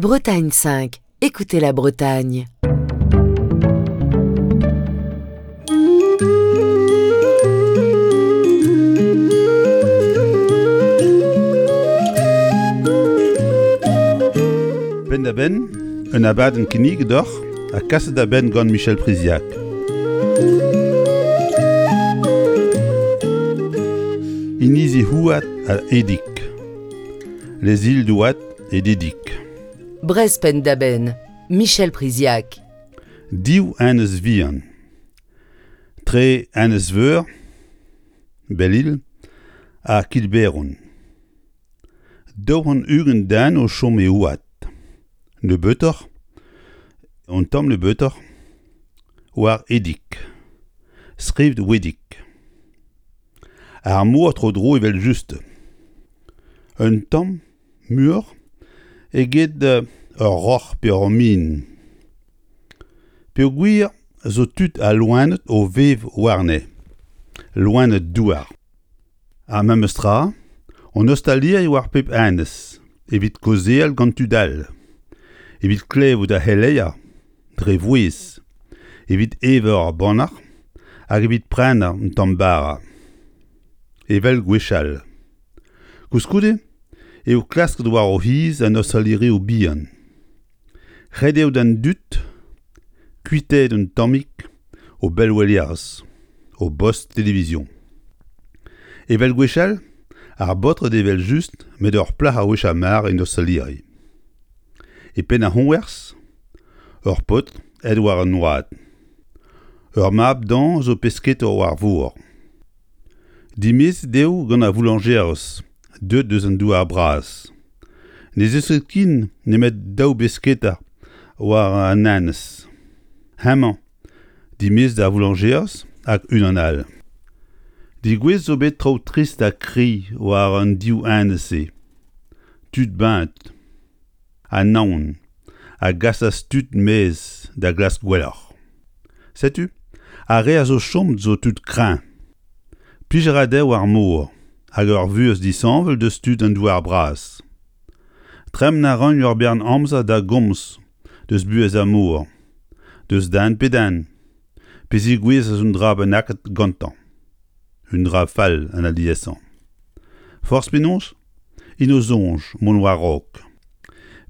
Bretagne 5, écoutez la Bretagne. Penn-da-benn, un abadenn kinniget deoc'h ha kaset da benn gant Michel Priziac. Inizi Houad ha Edig. Les îles d'Houat et d'Edig. Brest penn-da-benn, Michel Priziac. Div enez vihan. Tre Enez-Veur, Belle-Île ha Kilberon. 220 den o chom e Houad. Nebeutoc'h, un tamm nebeutoc'h, war Edig. Skrivet Wedig. Ar mor tro-dro evel-just. Un tamm muioc'h eget ur roc'h pe ur min. Peogwir zo tud ha loened o vev warne, loened douar. Ar memes tra, an ostaliri war pep enez evit kaozeal gant tud all, evit klevout ar c'heleier dre vouezh, evit evañ ur bannac'h hag evit prenañ un tamm bara. Evel gwechall. Koulskoude eo klasket war o c'hiz an ostalirioù bihan. Ret eo d'an dud kuitaet un tammig o bellwelerezh, o bost televizion. Evel gwechall, ar baotred evel-just met ur plac'h a wech ar mare en ostaliri. E penn ar c'hoñvers, ur paotr aet war an oad. Ur mab dezhañ zo pesketour war vor. Dimezet eo gant ar voulañjerez deuet eus an douar-bras. Ne zeus ket ken nemet daou besketa war an enez. Hemañ, dimezet d'ar voulañjerez hag unan all. Degouezhet zo bet traoù trist ha kri war an div enez-se. Tud beñet ha naon a gasas tud maez da glask gwelloc'h. Setu, ar re a zo chomet zo tud kreñv. Plij a ra dezho ar mor hag ur vuhez disheñvel deus tud an douar-bras. Tremen a ran ur bern amzer da gomz deus buhez ar mor, deus den pe den, pe zegouezhas un dra bennaket gantañ. Un dra fall an aliesañ. Forzh penaos, int o soñj mont war-raok.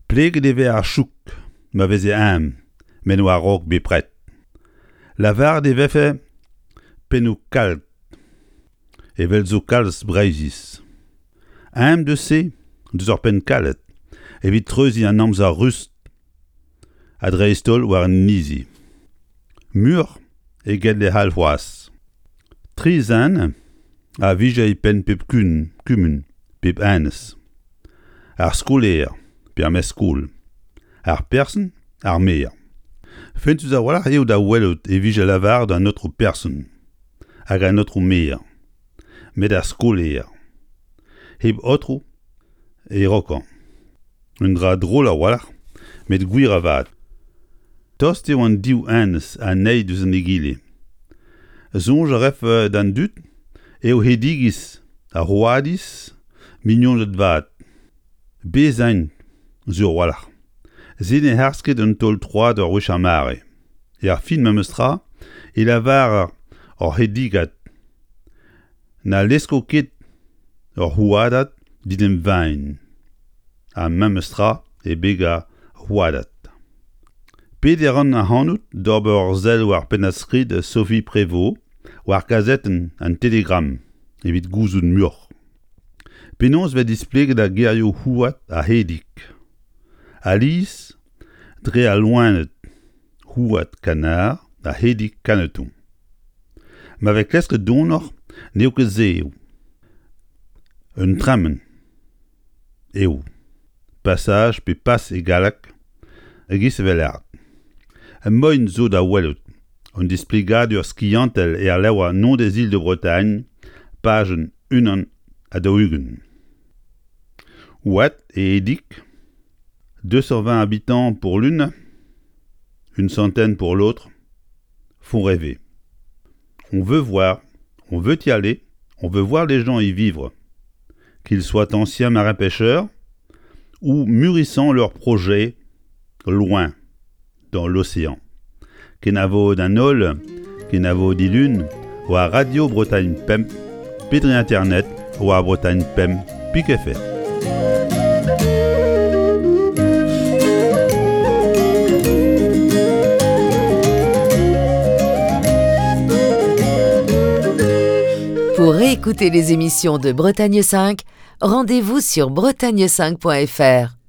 Pleget e vez ar chouk ma veze eñ met war-raok bepred. Lavaret e vefe pennoù kalt evel zo kalz Breizhiz. Eñ deus se deus ur penn kalet evit treuziñ an amzer rust ha dreist-holl war an inizi. Muioc'h eget lec'h all c'hoazh. Tri zen a vije e penn pep kumun, pep enez. Ar skolaer pe ar mestr-skol, ar person, ar maer. Fentus a-walc'h eo da welout e vije lavaret an aotrou person hag an aotrou maer, met ar skolaer, hep aotrou e raokañ. Un dra drol a-walc'h, met gwir avat. Tost eo an div enez anezhi diouzh an egile. Soñj a rafe d'an dud eo Hedigiz ha Houadiz mignoned vat. Bez' int, sur a-walc'h. Se ne harz ket un taol-troad ur wech ar mare. Er fin memes tra e lavarer hor Hedigad na lesko ket ur Houadad d'en em vaen. Ha memes tra e beg ar Houadad. Pediñ a ran ac'hanout d'ober ur sell war pennad-skrid Sophie Prévost war kazetenn an Télégramme evit gouzout muioc'h. Penaos 'vez displeget ar gerioù houad ha hedig? Alies dre al loened houad kanar ha hedig kaneton. Ma vez klasket donoc'h n'eo ket se eo. Un tremen eo. Passage pe pas e galleg e-giz evel art. Moien zo da welout un displegadur skiantel er levr Nom des îles de Bretagne, pajenn 41. Oad e Edig, 220 habitants pour l'une, une centaine pour l'autre, font rêver. On veut voir, on veut y aller, on veut voir les gens y vivre, qu'ils soient anciens marins-pêcheurs ou mûrissant leur projet. Loin dans l'océan. Kenavo d'an holl, kenavo dilun, war Radio Bretagne Pemp, pe dre internet war Bretagne Pemp pik fr. Pour réécouter les émissions de Bretagne 5, rendez-vous sur bretagne5.fr.